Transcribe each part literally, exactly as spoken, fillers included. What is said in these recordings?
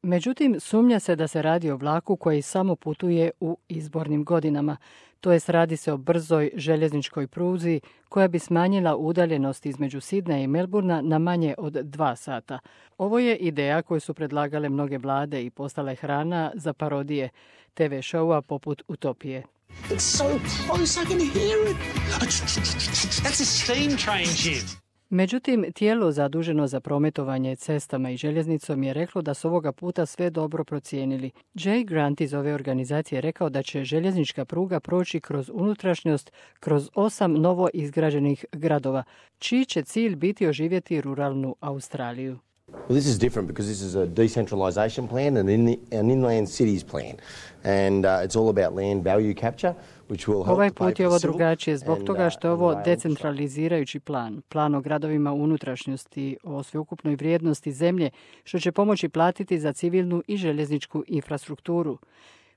Međutim, sumnja se da se radi o vlaku koji samo putuje u izbornim godinama. To jest radi se o brzoj željezničkoj pruzi koja bi smanjila udaljenost između Sidneja i Melburna na manje od dva sata. Ovo je ideja koju su predlagale mnoge vlade i postala je hrana za parodije te ve šoua poput Utopije. It's so close, I can hear it. That's a steam train shit. Međutim, tijelo zaduženo za prometovanje cestama i željeznicom je reklo da su ovoga puta sve dobro procijenili. Jay Grant iz ove organizacije je rekao da će željeznička pruga proći kroz unutrašnjost kroz osam novo izgrađenih gradova, čiji će cilj biti oživjeti ruralnu Australiju. Well, this is different because this is a decentralisation plan and in the, an inland cities plan. And uh, it's all about land value capture, which will help Ovaj to pay put je for ovo the civil drugačije zbog and, toga što je uh, ovo rail decentralizirajući plan, plan o gradovima u unutrašnjosti, o sveukupnoj vrijednosti zemlje, što će pomoći platiti za civilnu i željezničku infrastrukturu.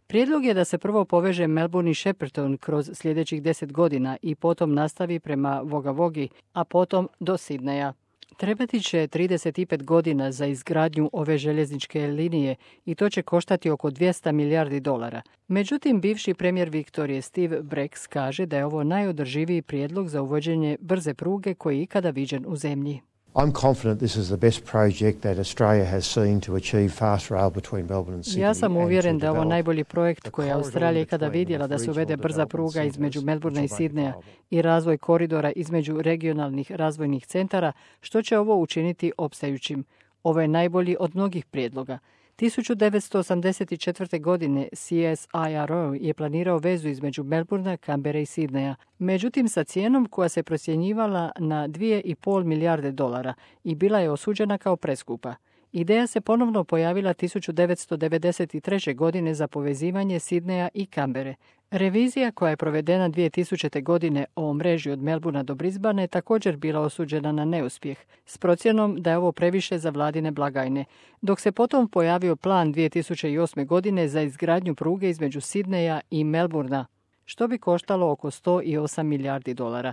Prijedlog je da se prvo poveže Melbourne i Shepparton kroz sljedećih deset godina i potom nastavi prema Wagga Waggi, a potom do Sidneja. Trebati će trideset pet godina za izgradnju ove željezničke linije i to će koštati oko dvjesto milijardi dolara. Međutim, bivši premijer Viktorije Steve Bracks kaže da je ovo najodrživiji prijedlog za uvođenje brze pruge koji je ikada viđen u zemlji. I'm confident this is the best project that Australia has seen to achieve fast rail between Melbourne and Sydney. Ja sam uvjeren da je ovo najbolji projekt koji je Australija ikada vidjela da se uvede brza pruga između Melbourna i Sidneja i razvoj koridora između regionalnih razvojnih centara, što će ovo učiniti opstajućim. Ovo je najbolji od mnogih prijedloga. tisuću devetsto osamdeset četvrte. godine C S I R O je planirao vezu između Melbourna, Canberre i Sidneja. Međutim, sa cijenom koja se procjenjivala na dvije i pol milijarde dolara i bila je osuđena kao preskupa. Ideja se ponovno pojavila tisuću devetsto devedeset treće. godine za povezivanje Sidneja i Canberre. Revizija koja je provedena dvije tisućite. godine o mreži od Melbourna do Brisbanea je također bila osuđena na neuspjeh, s procjenom da je ovo previše za vladine blagajne, dok se potom pojavio plan dvije tisuće osme. godine za izgradnju pruge između Sidneja i Melbourna, što bi koštalo oko sto osam milijardi dolara.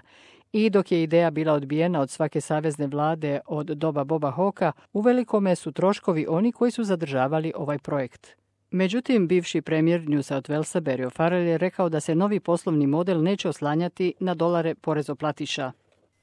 I dok je ideja bila odbijena od svake savezne vlade od doba Boba Hawkea, uvelikome su troškovi oni koji su zadržavali ovaj projekt. Međutim, bivši premijer New South Walesa Barry O'Farrell je rekao da se novi poslovni model neće oslanjati na dolare porezoplatiša.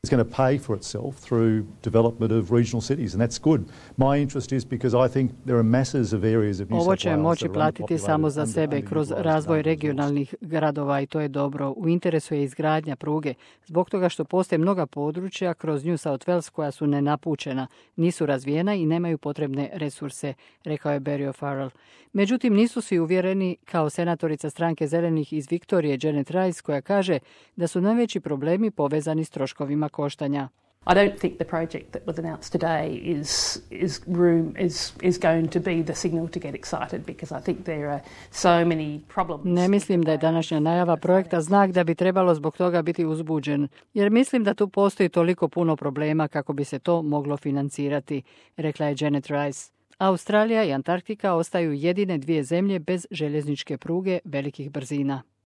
It's going to pay for itself through development of regional cities, and that's good. My interest is because I think there are masses of areas of New South Wales. Ovo će moći platiti samo za sebe kroz razvoj regionalnih gradova i to je dobro. U interesu je izgradnja pruge, zbog toga što postoje mnoga područja kroz New South Wales koja su nenapučena, nisu razvijena i nemaju potrebne resurse, rekao je Barry O'Farrell. Međutim, nisu svi uvjereni, kao senatorica stranke zelenih iz Viktorije Janet Rice, koja kaže da su najveći problemi povezani s troškovima koštanja. I don't think the project that was announced today is is room is is going to be the signal to get excited because I think there are so many problems. Ne mislim da je današnja najava projekta znak da bi trebalo zbog toga biti uzbuđen, jer mislim da tu postoji toliko puno problema kako bi se to moglo financirati, rekla je Janet Rice. Australija i Antarktika ostaju jedine dvije zemlje bez željezničke pruge velikih brzina.